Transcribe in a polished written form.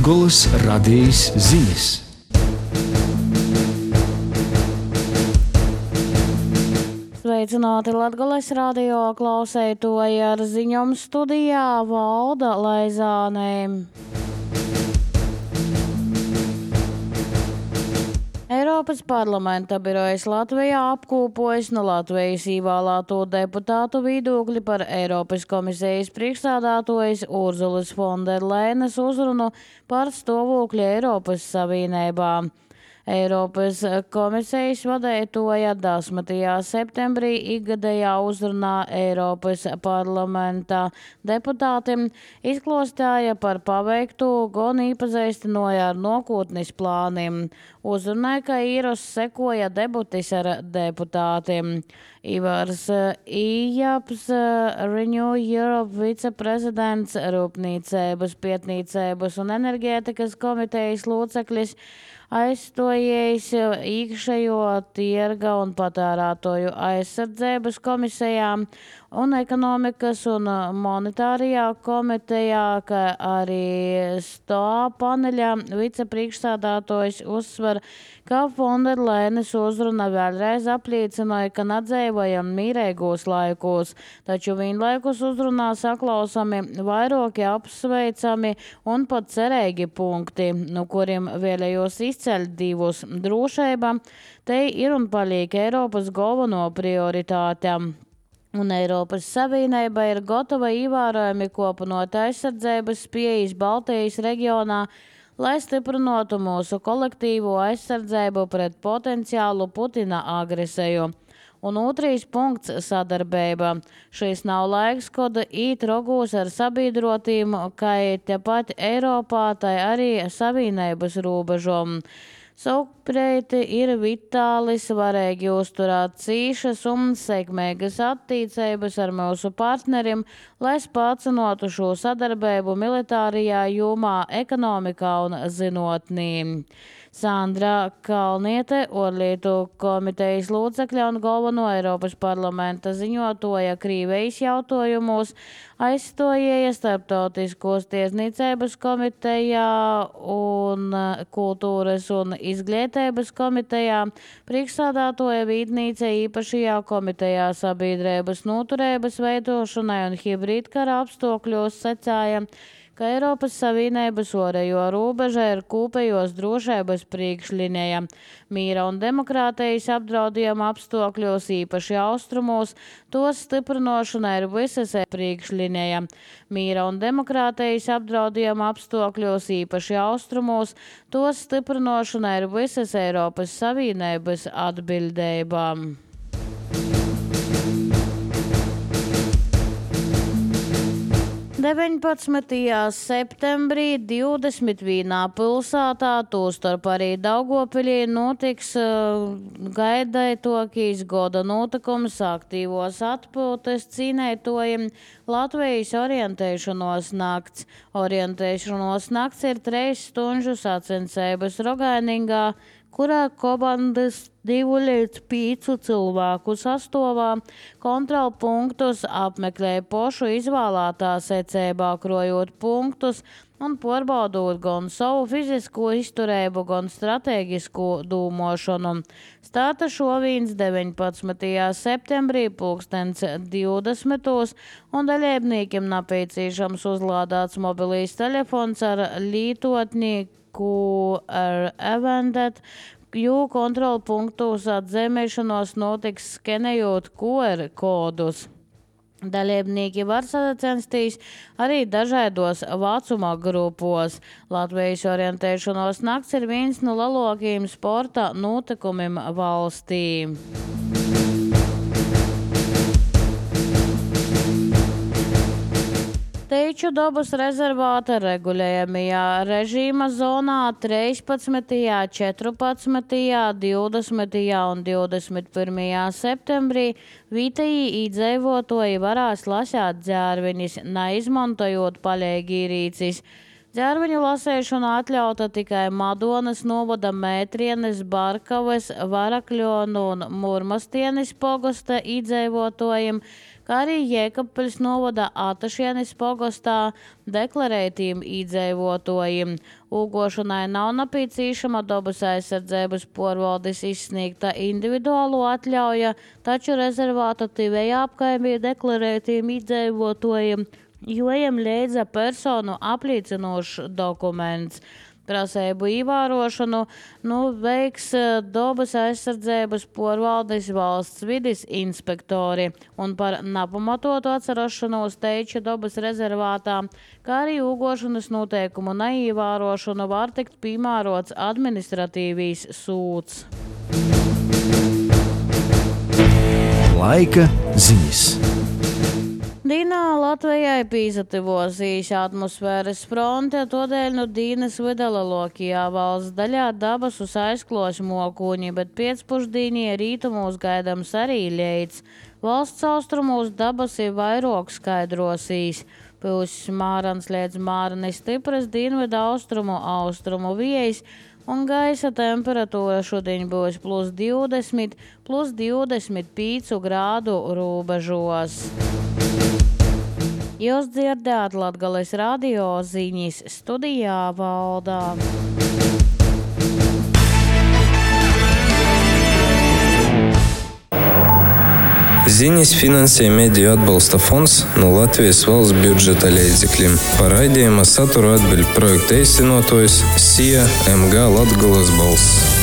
Latgoles radijas ziņas. Sveicināti Latgoles radio klausētoji, ar ziņām studijā Valda Laizāne. Eiropas parlamenta birojas Latvijā apkopojas no Latvijas ievēlēto deputātu viedokļi par Eiropas komisijas priekšsēdētājas Urzulas Fonderleinas uzrunu par stāvokli Eiropas Savienībā. Eiropas komisijas vadītāja 10. septembrī ikgadējā uzrunā Eiropas parlamenta deputātiem izklāstīja par paveikto, gan iepazīstināja ar nākotnes plāniem. Uzrunāja, ka īros sekoja debates ar deputātiem. Ivars Ijaps, Renew Europe viceprezidents, Rūpniecības, Pētniecības un enerģētikas komitejas loceklis, aizstājies iekšējo tirga un patērētāju aizsardzības komisijām un ekonomikas un monetārijā komitejā, kā arī STOA paneļā vicepriekšsēdētājs uzsver, ka Fonderleinas uzruna vēlreiz apliecināja, ka nedzēvojam mīrēgos laikos, taču vienlaikus uzrunā saklausami vairāki apsveicami un pat cerīgi punkti, no kuriem vēlējos izceļt divus - drošība, te ir un paliek Eiropas galveno prioritāte. Un Eiropas Savienība ir gatava ievērojami kopanot aizsardzības spējas Baltijas reģionā, lai stiprinātu mūsu kolektīvo aizsardzību pret potenciālu Putina agresiju. Un otrais punkts - sadarbība. Šis nav laiks, kad īt rogūs ar sabiedrotīm, kā tepat Eiropā, tai arī Savienības robežom. Savukārt ir vitāli svarīgi uzturēt cīšas un sekmīgas attiecības ar mūsu partneriem, lai spēcinātu šo sadarbību militārajā jomā, ekonomikā un zinātnē. Sandra Kalniete, ārlietu komitejas locekļa un galveno Eiropas parlamenta ziņotāja Krievijas jautājumos, aizstājies Starptautiskos tiesniecības komitejā un kultūras un izglītības komitejā, priekšsēdētāja vietniece īpašajā komitejā sabiedrības noturības veidošanai un hibrīdkara apstākļos secēja, ka Eiropas Savienības ārējo robeža ir kopējos drošības priekšlinija. Mīra un demokrātijas apdraudījuma apstākļos, īpaši austrumos, tos stiprināšana ir visas priekšlinija. Mīra un demokrātijas apdraudījuma apstākļos, īpaši austrumos, tos stiprināšana ir visas Eiropas Savienības atbildībām. 19. septembrī 21. pilsētā, tostarp arī Daugavpilī, notiks gaidītākais gada notikums aktīvos atpūtas cīnītājiem Latvijas orientēšanos nakts. Orientēšanos nakts ir 3 stundu sacensības Rogainingā, kurā komandas 2 līdz 5 cilvēku sastāvā kontrolpunktus apmeklē pošu izvēlētā secībā, krojot punktus un pārbaudot gan savu fizisko izturību, gan stratēģisko domāšanu. Starta šovīns 19. septembrī 20. un dalībniekiem nepieciešams uzlādāts mobilīs telefons ar lietotni QR Eventet, jo kontrolpunktos atzīmēšanos notiks skenējot QR kodus. Dalībnieki var sacensties arī dažādos vecuma grupos. Latvijas orientēšanos nakts ir viens no lielākajiem sporta notikumiem valstī. Teiču dabas rezervāta regulējamajā režīma zonā 13., 14., 20. un 21. septembrī vietējie iedzīvotāji varēs lasīt dzērvenis, neizmantojot palīgierīces. Ģerveņu lasēšana atļauta tikai Madonas novada Mētrienes, Barkavas, Varakļonu un Murmastienes pogosta iedzīvotājiem, kā arī Jēkabpeļs novada Atašienes pogostā deklarētiem iedzīvotājiem. Ūgošanai nav nepieciešama dabas aizsardzības porvaldes izsniegta individuālo atļauja, taču rezervāta tivējā apkaimē deklarētiem iedzīvotājiem jojam līdza personu apliecinošs dokuments. Prasību ievērošanu veiks dabas aizsardzības porvaldes valsts vides inspektori un par nepamatotu atcerašanos teiča dabas rezervātā, kā arī ūgošanas noteikumu neievērošanu var tikt piemērots administratīvīs sūds. Laika ziņas. Dīnā Latvijai pīsativosīs atmosfēras fronte, todēļ dīnas vidalākajā valsts daļā dabasus aizklos mokuņi, bet pēcpusdīnie rītumos gaidams arī leids. Valsts austrumos dabasi vairāk skaidrosīs. Pūs mārans līdz mārani stipras dienvidu austrumu vējs, un gaisa temperatūra šodien būs +20, +25 grādu robežos. Jūs dzirdējāt Latgales radio ziņas, studijā Valdā. Ziņas finansē Mediju atbalsta fonds no Latvijas valsts budžeta līdzekļiem. Par raidījuma saturu atbild projekta īstenotājs SIA MG Latgales balss.